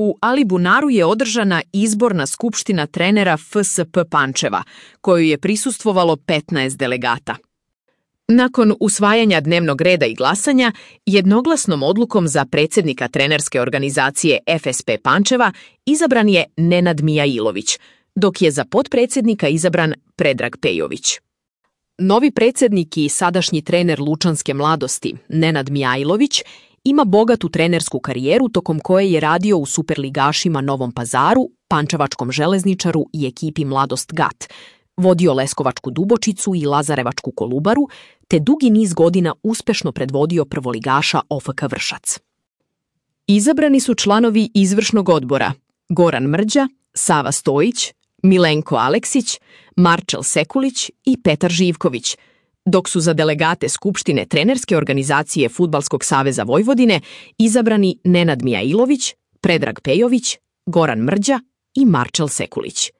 U Alibunaru je održana izborna skupština trenera FSP Pančeva, koju je prisustvovalo 15 delegata. Nakon usvajanja dnevnog reda i glasanja, jednoglasnom odlukom za predsjednika trenerske organizacije FSP Pančeva izabran je Nenad Mijailović, dok je za potpredsjednika izabran Predrag Pejović. Novi predsjednik i sadašnji trener Lučanske mladosti, Nenad Mijailović, ima bogatu trenersku karijeru tokom koje je radio u superligašima Novom Pazaru, Pančevačkom železničaru i ekipi Mladost Gat, vodio Leskovačku Dubočicu i Lazarevačku Kolubaru, te dugi niz godina uspešno predvodio prvoligaša OFK Vršac. Izabrani su članovi izvršnog odbora Goran Mrđa, Sava Stojić, Milenko Aleksić, Marčel Sekulić i Petar Živković, dok su za delegate Skupštine trenerske organizacije Fudbalskog saveza Vojvodine izabrani Nenad Mijailović, Predrag Pejović, Goran Mrđa i Marčel Sekulić.